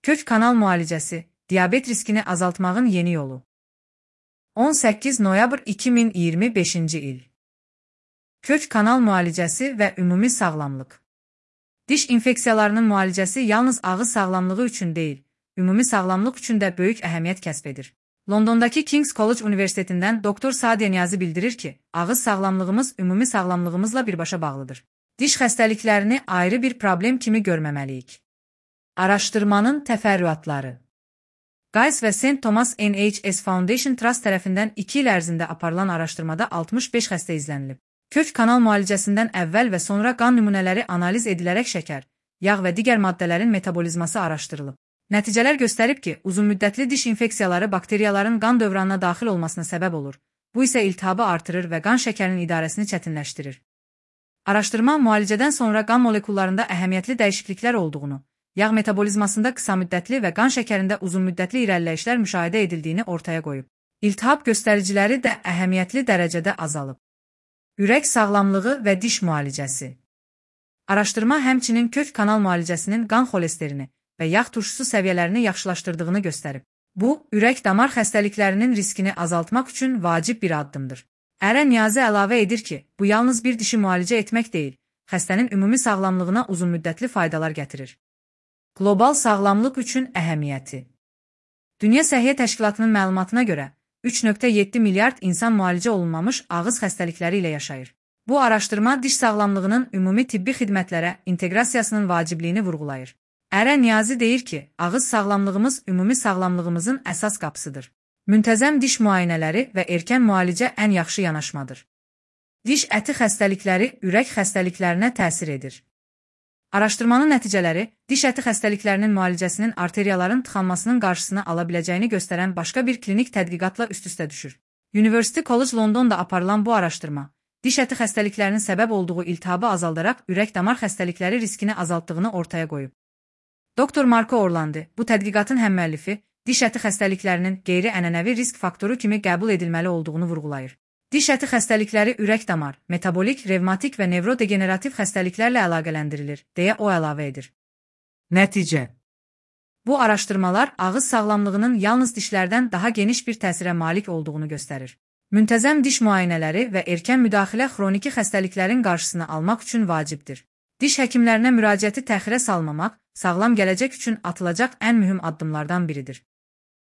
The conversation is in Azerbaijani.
Kök kanal müalicəsi, diabet riskini azaltmağın yeni yolu. 18 noyabr 2025 il. Kök kanal müalicəsi və ümumi sağlamlıq. Diş infeksiyalarının müalicəsi yalnız ağız sağlamlığı üçün deyil, ümumi sağlamlıq üçün də böyük əhəmiyyət kəsb edir. Londondakı King's College Universitetindən Dr. Sadia Niyazi bildirir ki, ağız sağlamlığımız ümumi sağlamlığımızla birbaşa bağlıdır. Diş xəstəliklərini ayrı bir problem kimi görməməliyik. Araşdırmanın təfərrüatları. Guy's və St. Thomas NHS Foundation Trust tərəfindən 2 il ərzində aparılan araşdırmada 65 xəstə izlənilib. Kök kanal müalicəsindən əvvəl və sonra qan nümunələri analiz edilərək şəkər, yağ və digər maddələrin metabolizması araşdırılıb. Nəticələr göstərib ki, uzunmüddətli diş infeksiyaları bakteriyaların qan dövranına daxil olmasına səbəb olur. Bu isə iltihabı artırır və qan şəkərinin idarəsini çətinləşdirir. Araşdırma müalicədən sonra qan molekullarında əhəmiyyətli dəyişikliklər olduğunu, yağ metabolizmasında qısa müddətli və qan şəkərində uzunmüddətli irəliləyişlər müşahidə edildiyini ortaya qoyub. İltihab göstəriciləri də əhəmiyyətli dərəcədə azalıb. Ürək sağlamlığı və diş müalicəsi. Araşdırma həmçinin kök kanal müalicəsinin qan xolesterini və yağ turşusu səviyyələrini yaxşılaşdırdığını göstərib. Bu, ürək-damar xəstəliklərinin riskini azaltmaq üçün vacib bir addımdır. Ərə Niyazi əlavə edir ki, bu yalnız bir dişi müalicə etmək deyil, xəstənin ümumi sağlamlığına uzunmüddətli faydalar gətirir. Qlobal sağlamlıq üçün əhəmiyyəti. Dünya Səhiyyə Təşkilatının məlumatına görə, 3,7 milyard insan müalicə olunmamış ağız xəstəlikləri ilə yaşayır. Bu araşdırma diş sağlamlığının ümumi tibbi xidmətlərə inteqrasiyasının vacibliyini vurğulayır. Ərə Niyazi deyir ki, ağız sağlamlığımız ümumi sağlamlığımızın əsas qapısıdır. Müntəzəm diş müayinələri və erkən müalicə ən yaxşı yanaşmadır. Diş əti xəstəlikləri ürək xəstəliklərinə təsir edir. Araşdırmanın nəticələri, diş əti xəstəliklərinin müalicəsinin arteriyaların tıxanmasının qarşısını ala biləcəyini göstərən başqa bir klinik tədqiqatla üst-üstə düşür. University College Londonda aparılan bu araşdırma, diş əti xəstəliklərinin səbəb olduğu iltihabı azaldaraq ürək-damar xəstəlikləri riskini azaltdığını ortaya qoyub. Dr. Marco Orlandi, bu tədqiqatın həmmüəllifi, diş əti xəstəliklərinin qeyri-ənənəvi risk faktoru kimi qəbul edilməli olduğunu vurğulayır. Diş əti xəstəlikləri ürək-damar, metabolik, revmatik və nevrodegenerativ xəstəliklərlə əlaqələndirilir, deyə o əlavə edir. Nəticə. Bu araşdırmalar ağız sağlamlığının yalnız dişlərdən daha geniş bir təsirə malik olduğunu göstərir. Müntəzəm diş müayinələri və erkən müdaxilə xroniki xəstəliklərin qarşısını almaq üçün vacibdir. Diş həkimlərinə müraciəti təxirə salmamaq, sağlam gələcək üçün atılacaq ən mühüm addımlardan biridir.